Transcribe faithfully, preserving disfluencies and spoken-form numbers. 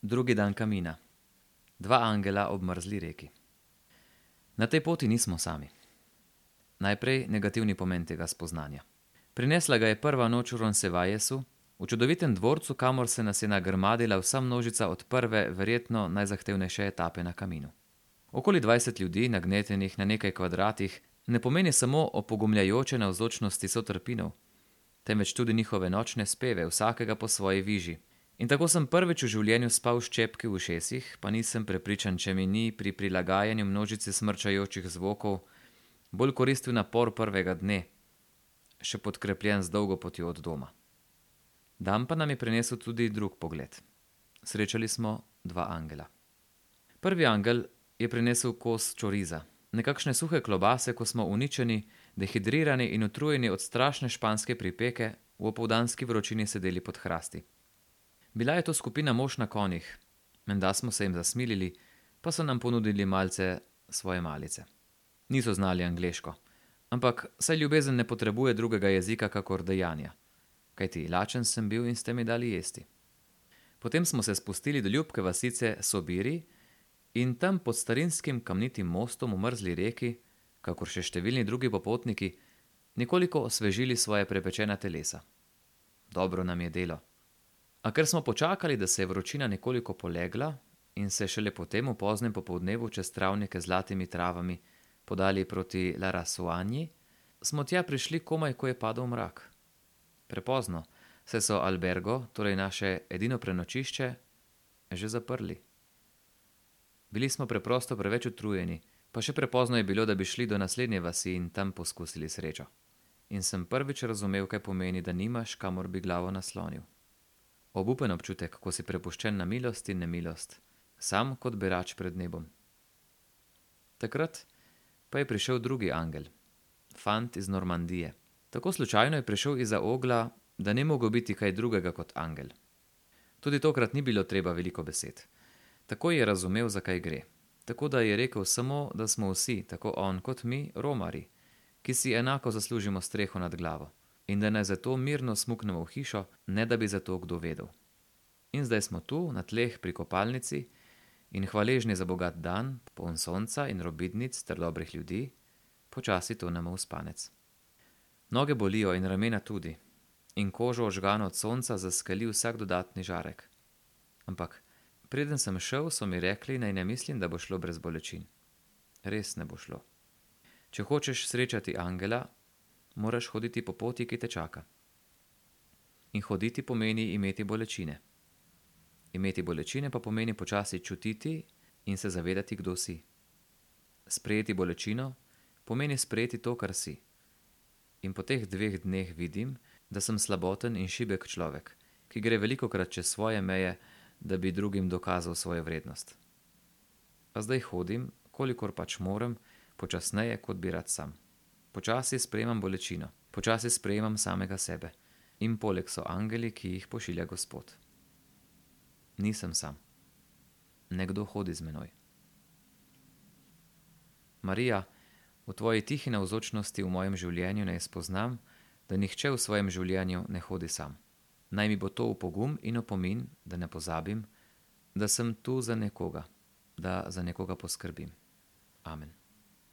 Drugi dan kamina. Dva angela ob mrzli reki. Na tej poti nismo sami. Najprej negativni pomen tega spoznanja. Prinesla ga je prva noč v Ronsevallesu, v čudovitem dvorcu, kamor se nas je nagrmadila vsa množica od prve, verjetno najzahtevnejše etape na kaminu. Okoli dvajset ljudi, nagnetenih na nekaj kvadratih, ne pomeni samo opogumljajoče navzočnosti sotrpinov, temveč tudi njihove nočne speve, vsakega po svoji viži. In tako sem prvič v življenju spal s čepki v ušesih, pa nisem prepričan, če mi ni pri prilagajanju množici smrčajočih zvokov bolj koristil napor prvega dne, še podkrepljen z dolgo potjo od doma. Dan pa nam je prinesel tudi drug pogled. Srečali smo dva angela. Prvi angel je prinesel kos čoriza, nekakšne suhe klobase, ko smo uničeni, dehidrirani in utrujeni od strašne španske pripeke v opoldanski vročini sedeli pod hrasti. Bila je to skupina mož na konjih, menda smo se jim zasmilili, pa so nam ponudili malce svoje malice. Niso znali angleško, ampak saj ljubezen ne potrebuje drugega jezika kakor dejanja, kajti lačen sem bil in ste mi dali jesti. Potem smo se spustili do ljubke vasice Sobiri in tam pod starinskim kamnitim mostom v mrzli reki, kakor še številni drugi popotniki, nekoliko osvežili svoje prepečena telesa. Dobro nam je delo. A ker smo počakali, da se je vročina nekoliko polegla in se šele potem v poznem popoldnevu čez travnike z zlatimi travami podali proti La Rasuanji, smo tja prišli komaj, ko je padel mrak. Prepozno, saj so albergo, torej naše edino prenočišče, že zaprli. Bili smo preprosto preveč utrujeni, pa še prepozno je bilo, da bi šli do naslednje vasi in tam poskusili srečo. In sem prvič razumel, kaj pomeni, da nimaš, kamor bi glavo naslonil. Obupen občutek, ko si prepuščen na milost in nemilost, sam kot berač pred nebom. Takrat pa je prišel drugi angel, fant iz Normandije. Tako slučajno je prišel izza ogla, da ni mogel biti kaj drugega kot angel. Tudi tokrat ni bilo treba veliko besed. Takoj je razumel, za kaj gre. Tako da je rekel samo, da smo vsi, tako on kot mi, romarji, ki si enako zaslužimo streho nad glavo. In da naj zato mirno smuknemo v hišo, ne da bi za to kdo vedel. In zdaj smo tu, na tleh pri kopalnici, in hvaležni za bogat dan, poln sonca in robidnic ter dobrih ljudi, počasi tonemo v spanec. Noge bolijo in ramena tudi, in kožo ožgano od sonca zaskali vsak dodatni žarek. Ampak preden sem šel, so mi rekli, naj ne mislim, da bo šlo brez bolečin. Res ne bo šlo. Če hočeš srečati angela, moraš hoditi po poti, ki te čaka. In hoditi pomeni imeti bolečine. Imeti bolečine pa pomeni počasi čutiti in se zavedati, kdo si. Sprejeti bolečino pomeni sprejeti to, kar si. In po teh dveh dneh vidim, da sem slaboten in šibek človek, ki gre velikokrat čez svoje meje, da bi drugim dokazal svojo vrednost. A zdaj hodim, kolikor pač moram, počasneje, kot bi rad sam. Počasi sprejemam bolečino, počasi sprejemam samega sebe. In poleg so angeli, ki jih pošilja Gospod. Nisem sam. Nekdo hodi z menoj. Marija, v tvoji tihi navzočnosti v mojem življenju naj spoznam, da nihče v svojem življenju ne hodi sam. Naj mi bo to v pogum in opomin, da ne pozabim, da sem tu za nekoga, da za nekoga poskrbim. Amen.